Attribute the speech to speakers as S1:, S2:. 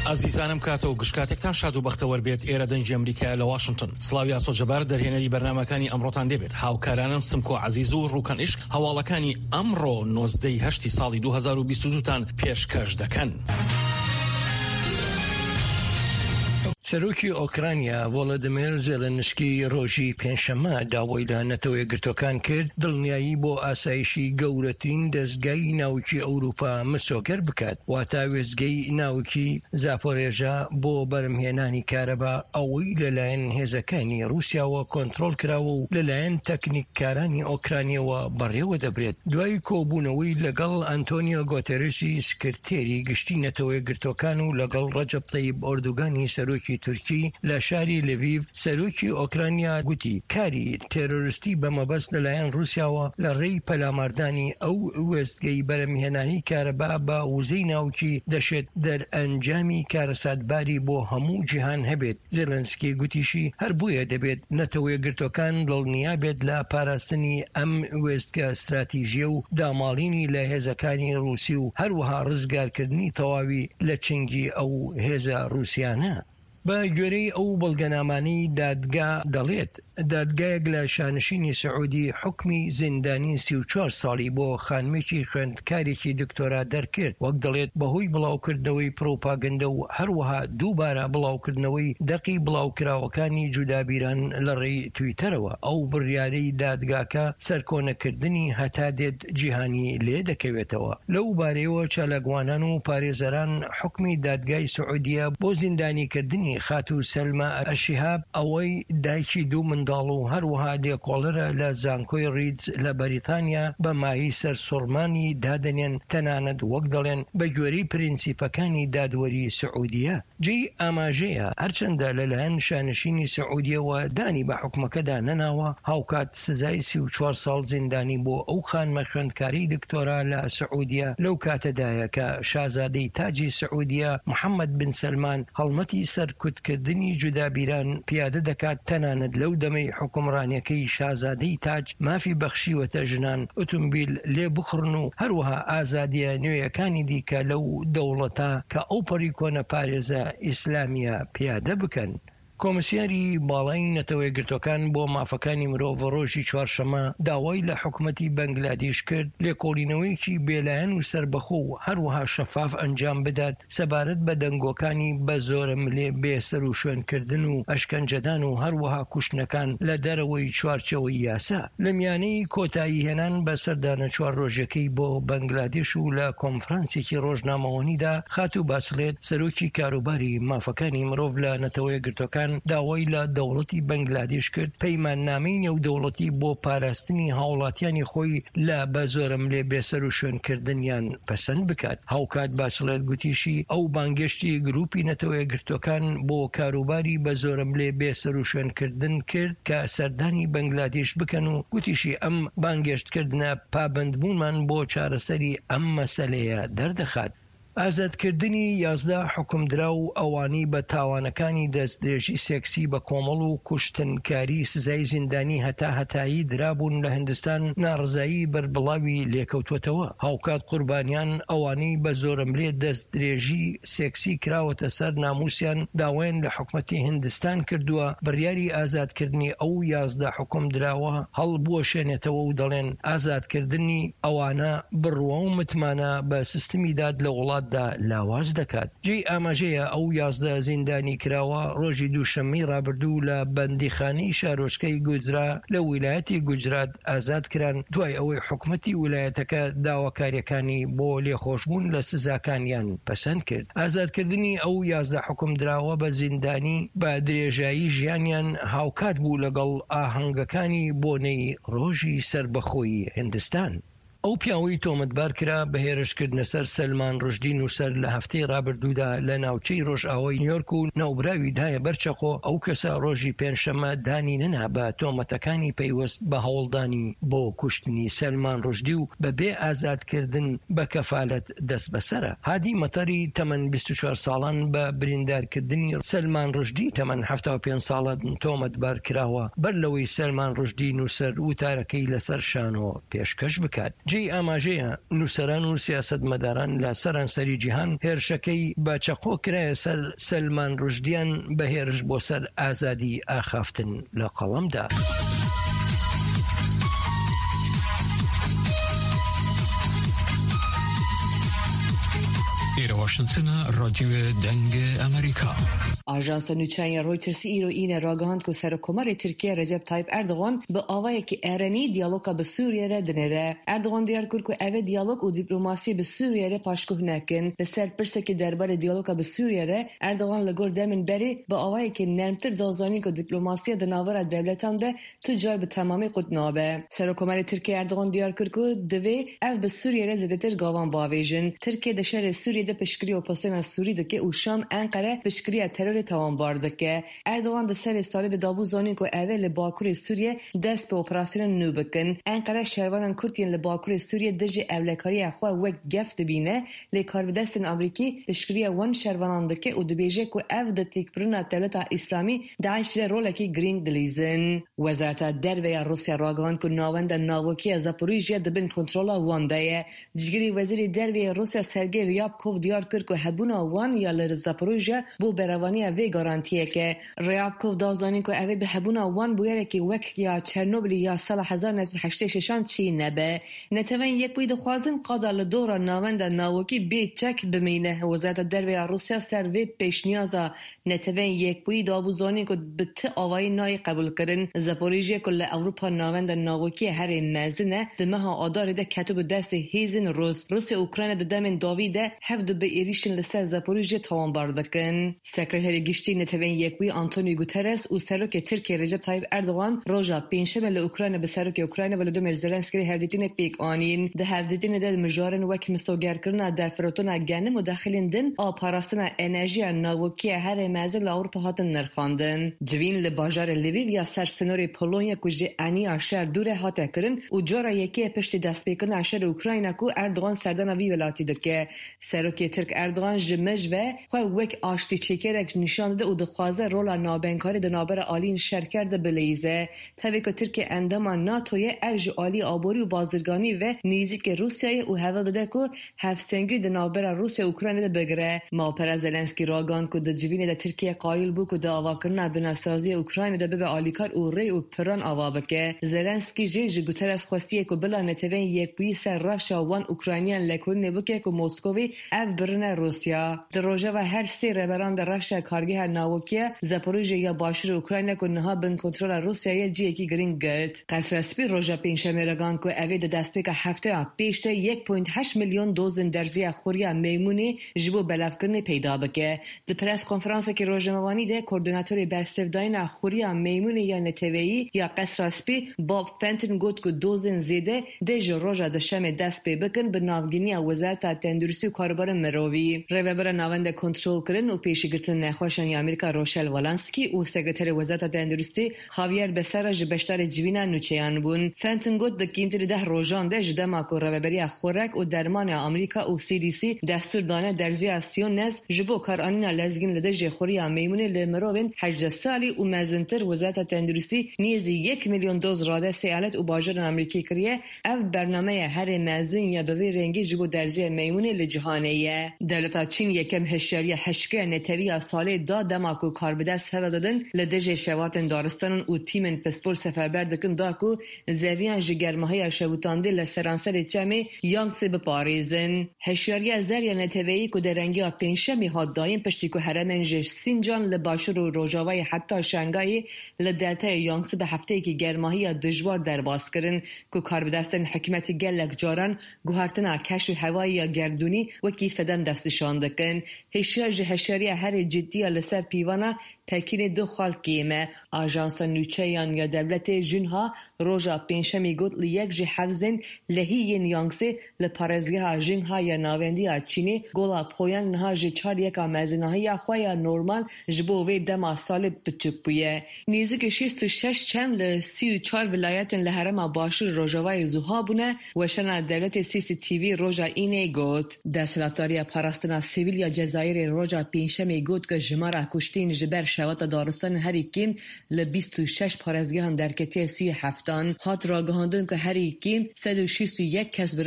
S1: ئازیزانم کاتە و گشت کاتێکتان شاد و بەختەوەر بێت. ئێرە دەنگی ئەمریکایە لە واشنتن. سڵاوی ئاسۆ جەبار دەرهێنەری بەرنامەکانی ئەمڕۆتان لێبێت. هاوکارانم سمکۆ عەزیز و ڕوکەن عیشق هەواڵەکانی ئەمڕۆ 19 ی هەشتی ساڵی 2022 تان پێشکەش دەکەن.
S2: سەرۆکی ئۆکرانیا ڤۆلۆدیمێر زێلێنسکی ڕۆژی پێنجشەممە داوای لە نەتەوە یەکگرتووەکان کرد دڵنیایی بۆ ئاسایشی گەورەترین دەزگای ناوکی ئەوروپا مسۆگەر بکات، واتە وێستگەی ناوکی زاپۆرێژا بۆ بەرهەمهێنانی کارەبا، ئەوەی لەلایەن هێزەکانی ڕووسیاوە کۆنترۆڵ کراوە و لەلایەن تەکنیککارانی ئۆکرانیەوە بەڕێوەدەبرێت. دوای کۆبوونەوەی لەگەڵ ئەنتۆنیۆ گۆتێرێسی سکرتێری گشتی نەتەوەیەکگرتووەکان و لەگەڵ ڕەجەب تەیب ئۆردوگانی سەرۆکی تورکی لە شاری لڤیڤ، سەرۆکی ئۆکرانیا گوتی، کاری تێرۆرستی بە مەبەست لەلایەن ڕووسیاوە لە ڕێی پەلاماردانی ئەو وێستگەی بەرهەمهێنانی کارەبا بە وزەی ناوکی دەشێت دەرئەنجامی کارەساتباری بۆ هەموو جیهان هەبێت. زێلێنسکی گوتیشی، هەر بۆیە دەبێت نەتەوەیەکگرتووەکان دڵنیا بێت لە پاراستنی ئەم وێستگە ستراتیژییە و داماڵینی لە هێزەکانی ڕووسی و هەروەها ڕزگارکردنی تەواوی لە چنگی ئەو هێزە ڕووسیانە. بە گوێرەی ئەو بەڵگەنامانەی دادگا دەڵێت، دادگایەک لە شانشینی سعودی حوکمی زیندانی 34 ساڵی بۆ خانمێکی خوێندکارێکی دکتۆرا دەرکرد، وەک دەڵێت بەهۆی بڵاوکردنەوەی پڕوپاگەندە و هەروەها دووبارە بڵاوکردنەوەی دەقی بڵاوکراوەکانی جودابیران لەڕێی تویتەرەوە، ئەو بڕیارەی دادگاکە سەرکۆنەکردنی هەتا دێت جیهانی لێ دەکەوێتەوە. لەو بارەیەوە چالاکوانان و پارێزەران حوکمی دادگای سعودیە بۆ زیندانیکردنی خاتوو سەلما ئەلشیهاب ئەوەی دایکی دوو منداڵ و هەروەها لێکۆڵەرە لە زانکۆی ڕیدز لە بەریتانیا بە مایەی سەرسوڕمانی دادەنێن تەنانەت وەک دەڵێن بە گوێرەی پرینسیپەکانی دادوەری سعودیە. جێی ئاماژەیە هەرچەندە لەلایەن شانشینی سعودیەوە دانی بە حوکمەکەدا نەناوە، هاوکات سزای 34 ساڵ زیندانی بۆ ئەو خانمە خوێندکارەی دکتۆرا لە سعودیە لەو کاتەدایە کە شازادەی تاجی سعودیە محەمەد بن سەلمان هەڵمەتی سەرکوتکردنی جودابیران پیادە دەکات، تەنانەت لەو دەمەی حوکمڕانیەکەی شازادەی تاج مافی بەخشیوەتە ژنان ئوتومبیل لێ بخوڕن و هەروەها ئازادیە نوێیەکانی دیکە لەو دەوڵەتە کە ئەوپەڕی کۆنەپارێزە ئیسلامیە پیادە بکەن. کۆمسیاری باڵای نەتەوەیەکگرتوەکان بۆ مافەکانی مرۆڤ ڕۆژی چوارشەممە داوای لە حکومەتی بەنگلادیش کرد لێکۆڵینەوەیەکی بێلایەن و سەربەخۆ و هەروەها شەفاف ئەنجام بدات سەبارەت بە دەنگۆکانی بە زۆرەملێ بێسەروشوێنکردن و ئەشکەنجەدان و هەروەها کوشتنەکان لە دەرەوەی چوارچێوەی یاسا. لە میانەی کۆتاییهێنان بە سەردانە چوار ڕۆژەکەی بۆ بەنگلادێش و لە کۆنفرانسێکی ڕۆژنامەوانیدا خاتوو باچلێت سەرۆکی کاروباری مافەکانی مرۆڤ لە نەتەوەیەکگرتووەکان داوای لە دەوڵەتی بەنگلادێش کرد پەیماننامەی نێودەوڵەتی بۆ پاراستنی هاوڵاتیانی خۆی لە بە زۆرەملێ بێسەروشوێنکردنیان پەسەند بکات. هاوکات باچڵێت گوتیشی، ئەو بانگێشتی گروپی نەتەوەیەکگرتووەکان بۆ کاروباری بە زۆرەملێ بێسەروشوێنکردن کرد کە سەردانی بەنگلادیش بکەن و گوتیشی ئەم بانگێشتکردنە پابەندبوونمان بۆ چارەسەری ئەم مەسەلەیە دەردەخات. ئازادکردنی 11 حوکمدراو و ئەوانەی بە تاوانەکانی دەستدرێژی سێکسی بە کۆمەڵ و کوشتنکاری سزای زیندانی هەتا هەتایی درابوون لە هندستان ناڕەزایی بەربڵاوی لێکەوتووەتەوە. هاوکات قوربانیان ئەوانەی بە زۆرەملێ دەستدرێژی سێکسی کراوەتە سەر ناموسیان داوایان لە حکومەتی هندستان کردووە بڕیاری ئازادکردنی ئەو 11 حوکمدراوە هەڵبوەشێنێتەوە و دەڵێن ئازادکردنی ئەوانە بڕوا و متمانە بە سیستمی داد لە وڵاتدا لاواز دەکات. جێی ئاماژەیە ئەو 11 زیندانیکراوە ڕۆژی دووشەممەی ڕابردوو لە بەندیخانەی شارۆچکەی گوجرا لە ویلایەتی گوجرات ئازاد کران دوای ئەوەی حکومەتی ویلایەتەکە داواکارییەکانی بۆ لێخۆشبوون لە سزاکانیان پەسەند کرد. ئازادکردنی ئەو 11 حوکمدراوە بە زیندانی بە درێژایی ژیانیان هاوکات بوو لەگەڵ ئاهەنگەکانی بۆنەی ڕۆژی سەربەخۆیی هیندستان. ئەو پیاوەی تۆمەتبار کرا بە هێرشکردنە سەر سەلمان ڕوشدی نووسەر لە هەفتەی ڕابردوودا لە ناوچەی ڕۆژئاوای نیۆرک و ناوبراوی دایە بەر چەقۆ، ئەو کەسە ڕۆژی پێنجشەممە دانی نەنا بە تۆمەتەکانی پەیوەست بە هەوڵدانی بۆ کوشتنی سەلمان ڕوشدی و بە بێ ئازادکردن بە کەفالەت دەستبەسەرە. هادی مەتەری تەمەن 24 ساڵان بە بریندارکردنی سەلمان ڕوشدی تەمەن 75 ساڵان تۆمەتبار کراوە بەر لەوەی سەلمان ڕوشدی نووسەر وتارەکەی لەسەر شانۆ پێشکەش بکات. جێی ئاماژەیە نووسەران و سیاسەتمەداران لە سەرانسەری جیهان هێرشەکەی بە چەقۆ کرایە سەر سەلمان ڕوشدیان بە هێرش بۆ سەر ئازادی ئاخافتن لە قەڵەم دا.
S3: ئێرە واشنتنە، ڕادیۆ دەنگ ئەمریکا.
S4: ئاژانسە نوچەیان ya Reutersê îro Înê ragihand ku Serokkomarê Tirkiye Recep Tayyip Erdogan bi awayekî erenî diyaloga bi Sûriyê re dinêre. Erdogan diyar kir ku ev ê diyalog û dîplomasiyê bi Sûriyê re paşguh nekin. Li ser pirsekê derbarê diyaloga bi Sûriyê re, Erdogan li gor demên berê bi awayekî nermtir da zanîn ku dîplomasiya di navbera dewletan de tu car bi temamî qut nabe. Serokkomarê Tirkiyê Erdogan diyar kir ku divê ev bi Sûriyê re zêdetir gavan biavêjin. Tirkiye di şerê Sûriyê de piştgiriya opozisyona Sûrî dike û Şam Enqere piştgiriya terorê tawanbar dike. Erdogan di serê salê de dabû zanîn ku ev ê li bakurê Sûriyê dest bi operasyonên nû bikin. Enqere şervanên Kurd yên li bakurê Sûriyê dijî ewlekariya xwe wek gef dibîne, lê karbidestên Amerîkî piştgiriya wan şervanan dike û dibêje ku ev di têkbirina Dewleta Îslamî DAIŞ de rolekî girîng dilîzin. Wezareta Derve ya Rûsya ragihand ku navenda navokî ya Zaporijya di bin kontrola wan de ye. Cîgirê Wezîrê Derve yê Rûsya Sergey Ryabkov diyar kir ku hebûna wan ya li Zaporijya bo berevaniya vê garantiyek e. Ryabkov da zanîn ku ev ê bi hebûna wan bûyerekî wek ya Çernobilî ya sala 1986 an çê nebe. Neteweyên Yekbûyî dixwazin qada li dora navenda navokî bê çek bimîne. Wezareta Derve ya Rûsya ser vê pêşniyaza Neteweyên Yekbûyî dabû zanîn ku bi ti awayî nayê qebûlkirin. Zaporijya ku li Ewropa navenda navokiyê herê mezin e, di meha Adarê de ketibû destê hêzên Rûs. Rûsya û Ukrayna di demên dawî de hev du bi êrîşên li ser Zaporijya tawanbar dikin. Sekreterê Giştî Neteweyên Yekbûyî Antonio Guterres û Serokê Tirkiyê Recep Tayyip Erdogan roja Pêncşemê li Ukrayna bi Serokê Ukrayna Volodymyr Zelenskiy re hevdîtinê pêk anîn. Di hevdîtinê de mijarên wek misogerkirina derfirotona genim û dexilên din a parastina enerjiya navokî herê mezin li Ewropa hatin nirxandin. Civîn li bajarê Lviv ya ser sinorê Polonya ku ji eniya şer dûr e hate kirin û cara yekê ye piştî destpêkirina şerê Ukrayna ku Erdogan serdana vî welatî dike. Serokê Tirk Erdogan ji mij ve xwe wek aştîçêkerek nîşan dide û dixwaze rola navbeynkarî di navbera aliyên şerker de bileyîze. Tevî ku Tirkiye endama NATO ye, ev ji aliyê aborî û bazirganî ve nêzîkê Rûsyayê ye û hewl dide ku hevsengî di navbera Rûsya û Ukraynayê de bigire. Malpera Zelenskiy ragihand ku di civînê de Tirkiye qayil bû ku di avakirina binesaziya Ukraynayê de bibe alîkar û rê û piran ava bike. Zelenskiy jî ji Guterres xwestiye ku bila Neteweyên Yekbûyî ser rewşa wan Ukrayniyan lekolînê bike ku Moskovê ev birine Rûsya. Di rojeva her sê rêberan de rewşa kargeha nawokiya Zaporijye ya başûrê Ukrayna ku niha bin kontrola Rûsya ye cihekî girîng girt. Qesra Spî roja pêncşemê ragihand ku ev ê di destpêka hefteya pêş de 1.8 milyon dozên derziya xuriya meymûnê ji bo belavkirinê peyda bike. Di press konferansekî rojnamevanî de Koordînatorê Bersivdayîna Xuriya Meymûnê ya Neteweyî ya Qesra Spî Bob Fenton got ku dozên zêde dê ji roja duşemê dest pê bikin bi navgîniya Wezareta Tenduristî û Karûbarên Mirovî. Rêvebera Navenda Kontrolkirin û Pêşîgirtina Nexweşan ya Amerîka Rochelle Walensky û Sekreterê Wezareta Tenduristî Javier Becerra ji beşdarê civîna nûçeyan bûn. Fenton got di kêmtirî deh rojan de ji dema ku Rêveberiya Xurek û Dermanê Amerîka û CDC destûr dane derziya Siyonez ji bo karanîna lezgîn li dijî xuriya meymûnê li mirovên 18 salî û mezintir Wezareta Tenduristî nêzî yek milyon doz radestê eyalet û bajarên Amerîkî kiriye Ev bernameya herê mezin ya bi vî rengî ji bo derziya meymûnê li cîhanê ye. Dewleta Çîn yekem hişyariya hişkiya netewî ya salê da dema ku karbidest hewl didin li dijî şewatên daristanan û tîmên pispor seferber dikin da ku zeviyan ji germahiya şewitandî li seranserê çemê Yangtze biparêzin. Hişyariya zer ya neteweyî ku derengiya pêncşemê hat dayîn piştî ku herêmên ji Sincan li başûr û rojavayê heta Şangayê Li deltaya Yangtze bi hefteyekî germahiya dijwar derbas kirin ku karbidestên hikûmetê gelek caran guhertina keş û hewayê ya gerdûnî wekî sedem destnîşan dikin. Hişyar ji hişyariya herî cidî ya li ser pîvana Pekînê du xal kêm e. Ajansa nûçeyan ya dewletê Xinhua roja pêncşemê got li yek ji hevzên lehî yên Yangtze li parêzgeha Xinhua ya navendî ya Çînê gola Poyang niha ji çar yeka mezinahiya xwe ya normal Ji bo vê dema salê biçûk bûye. Nêzîkî 66 çem li 34 vilayetên li herêma Başûr Rojavayê zuha bûne, weşana dewletê CCTV roja Înê got. Desthilatdariya Parastina Sivîl ya Cezayirê roja Pêncşemê got ku Jimara kuştiyên ji ber şewata daristanên herî kêm li 26 parêzgehan derketiye 37an. Hat ragihandin ku herî kêm 161 kes bi.